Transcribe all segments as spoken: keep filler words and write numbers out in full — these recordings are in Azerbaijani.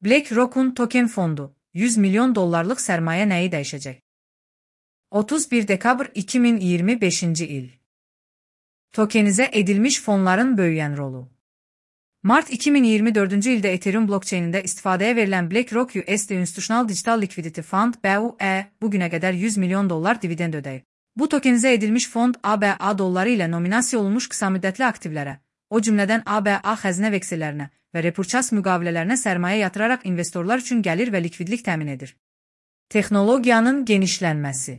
BlackRock'un token fondu, yüz milyon dollarlıq sərmayə nəyi dəyişəcək? otuz bir dekabr iki min iyirmi beşinci il. Tokenizə edilmiş fonların böyüyən rolu. Mart iki min iyirmi dördüncü ildə Ethereum blockchainində istifadəyə verilən BlackRock U S D Institutional Digital Liquidity Fund B U E bugünə qədər yüz milyon dollar dividend ödəyib. Bu tokenizə edilmiş fond A B A dolları ilə nominasiya olunmuş qısa müddətli aktivlərə, o cümlədən A B A xəzinə veksellərinə və repurchas müqavilələrinə sərmayə yatıraraq investorlar üçün gəlir və likvidlik təmin edir. Texnologiyanın genişlənməsi.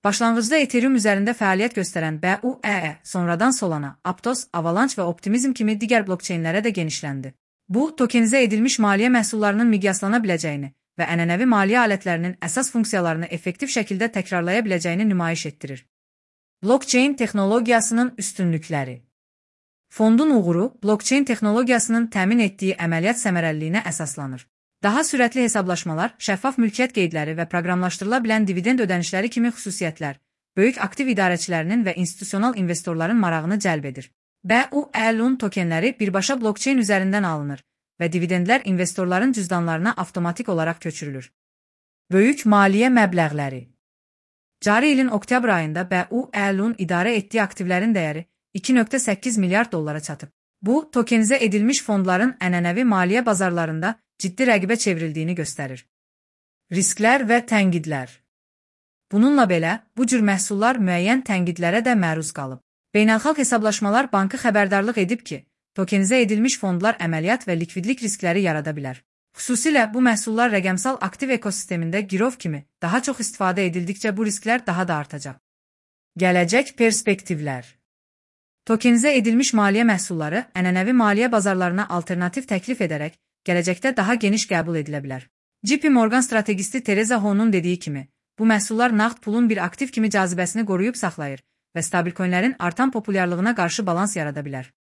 Başlanğıcda Ethereum üzərində fəaliyyət göstərən B U E sonradan Solana, Aptos, Avalanche və Optimism kimi digər blockchainlərə də genişləndi. Bu, tokenizə edilmiş maliyyə məhsullarının miqyaslana biləcəyini və ənənəvi maliyyə alətlərinin əsas funksiyalarını effektiv şəkildə təkrarlaya biləcəyini nümayiş etdirir. Blockchain texnologiyasının üstünlükləri. Fondun uğuru, blockchain texnologiyasının təmin etdiyi əməliyyat səmərəliliyinə əsaslanır. Daha sürətli hesablaşmalar, şəffaf mülkiyyət qeydləri və proqramlaşdırıla bilən dividend ödənişləri kimi xüsusiyyətlər, böyük aktiv idarəçilərinin və institusional investorların marağını cəlb edir. B U E-nun tokenləri birbaşa blockchain üzərindən alınır və dividendlər investorların cüzdanlarına avtomatik olaraq köçürülür. Böyük maliyyə məbləğləri. Cari ilin oktyabr ayında B U E-nun idarə etdiyi aktivlərin dəyəri iki nöqtə səkkiz milyard dollara çatıb. Bu, tokenizə edilmiş fondların ənənəvi maliyyə bazarlarında ciddi rəqibə çevrildiyini göstərir. Risklər və tənqidlər. Bununla belə, bu cür məhsullar müəyyən tənqidlərə də məruz qalıb. Beynəlxalq hesablaşmalar bankı xəbərdarlıq edib ki, tokenizə edilmiş fondlar əməliyyat və likvidlik riskləri yarada bilər. Xüsusilə bu məhsullar rəqəmsal aktiv ekosistemində girov kimi daha çox istifadə edildikcə bu risklər daha da artacaq. Gələcək perspektivlər. Tokenizə edilmiş maliyyə məhsulları ənənəvi maliyyə bazarlarına alternativ təklif edərək gələcəkdə daha geniş qəbul edilə bilər. J P Morgan strategisti Teresa Ho'nun dediyi kimi, bu məhsullar nağd pulun bir aktiv kimi cazibəsini qoruyub saxlayır və stabil coinlərin artan populyarlığına qarşı balans yarada bilər.